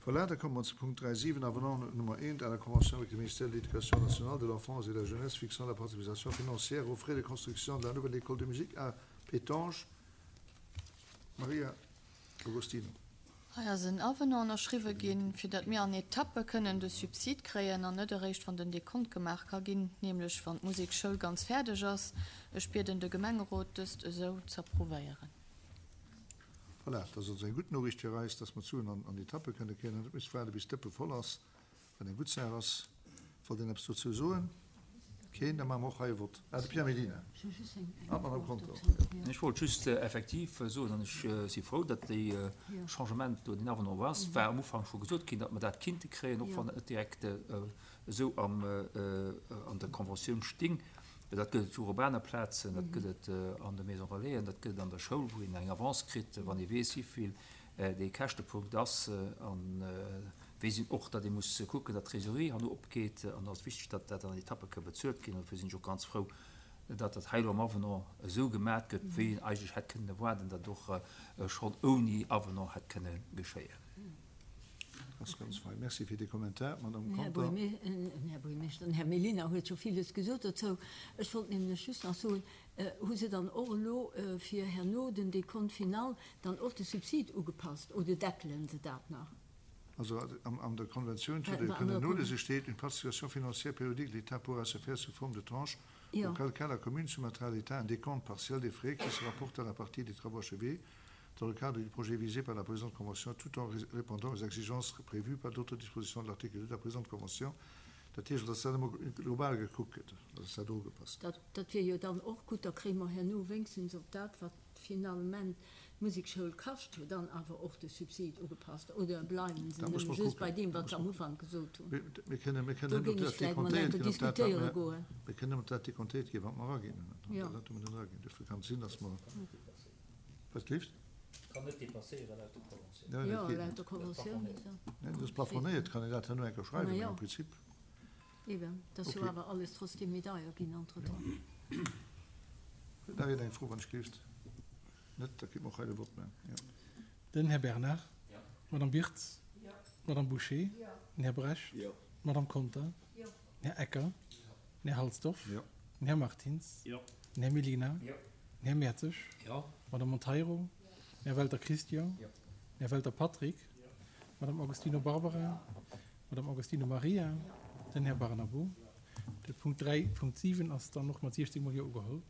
Voilà, da komme mer zu Punkt 3.7, Avenant Nummer 1 à la Convention avec le ministère de l'Éducation nationale, de l'Enfance et de la Jeunesse fixant la participation financière aux frais de construction de la nouvelle école de musique à Pétange. Maria Agostino. Hei ass en Avenant ënnerschriwwe ginn, fir datt mir an Etappe kënnen de Subsid kréien an net eréischt wann den Dekont gemaach ka ginn, nämlech wann d'Musekschoul ganz fäerdeg ass. Ech bieden de Gemengerot, dëst esou z'approuvéieren. Voilà, dat ass also eng gutt Noriicht fir eis, dass mer d'Suen an Etappe kënne kréien an net müsse waarde bis d'Dëppe voll ass, wat eng gutt Saach ass. Wollt een eppes dozou soen? Keen? Da maache mer och hei e Vott. Ah, de Pierre Mellina an d'Madame Conter. Ech wollt just effektiv soen, an ech si frou, datt dee Changement do, deen Avenant ass, war am Ufank scho gesot ginn, datt mer dat kinnte kréien, och wann et net direkt esou an der Conventioun sting. Dat gëtt et jo och op aner Plazen, dat gëtt et an de Maison Relaisen, dat gëtt et an der Schoul, wou een eng Avance kritt, wann ee weess, wéivill dee Käschtepunkt ass. A weess een och, datt ee muss kucken, datt d'Trésorerie herno opgeet. An da ass et wichteg, datt dat an Etappe ka bezuelt ginn. An dofir sinn ech och ganz frou, datt dat hei elo am Avenant esou gemat gëtt, wéi een eigentlech hätt kënnen erwaarden, datt et och schonn ouni Avenant hätt kënne geschéien. Ass ganz fein. Merci fir dee Kommentar, Madame Conter. Här Buergermeeschter, den Här Mellina huet scho villes gesot dozou. Ech wollt nämlech just nach soen, Hu se dann och elo fir herno den Décompte final dann och de Subsid ugepasst oder deckelen se dat nach? Also an der Konventioun, zu der Dir kënnen nolese, steet, Une participation financière périodique de l'État pourra se faire sous forme de tranches, auquel cas la commune soumettra à l'État un décompte partiel des frais qui se rapportent à la partie des travaux achevés dans le cadre du projet visé par la présente convention, tout en répondant aux exigences prévues par d'autres dispositions de l'article 2 de la présente convention. Dat heescht, dass dat emol global gekuckt gëtt, dass dat ugepasst gëtt. Dat wier jo dann och gutt, da kréie mer herno wéinstens op dat, wat finalement d'Musekschoul kascht, dann awer och de Subsid ugepasst. Oder bleiwen se nëmme just bei deem, wat se am Ufank gesot hunn? Mir kënnen Do nëmmen géing op ech dat vläicht mol dekontéiert enke ginn, op dat, wat diskutéiere mer, goen. mir kënnen nëmmen op dat dekontéiert ginn, wat mer eraginn hunn. An dat hu mer net eraginn. Duerfir kann et sinn, dass mer. Wat gleefs? Kann net dépasséieren laut der Konventioun. Jo, laut der Konventioun. Nee, dat ass plafonéiert, kann een dat herno eng Kéier schreiwen, mee am Prinzip. Eben, dat ass jo awer alles trotzdem méi deier ginn entretemps. Huet nach een eng Fro, wann ech gleeft? Net? Da kritt mer och hei de Vott maachen. Jo. Den Här Bernard. D'Madame Birtz. D'Madame Bouché. Den Här Bresch. D'Madame Conter. Den Här Ecker. Den Här Halsdorf. Den Här Martins. Den Här Mellina. Den Här Mertzig. D'Madame Monteiro. Den Här Welter Christian. Den Här Welter Patrick. D'Madame Agostino Barbara. D'Madame Agostino Maria. Den Här Barnabo. De Punkt 3.7 ass dann och mat 16 mol Jo ugeholl.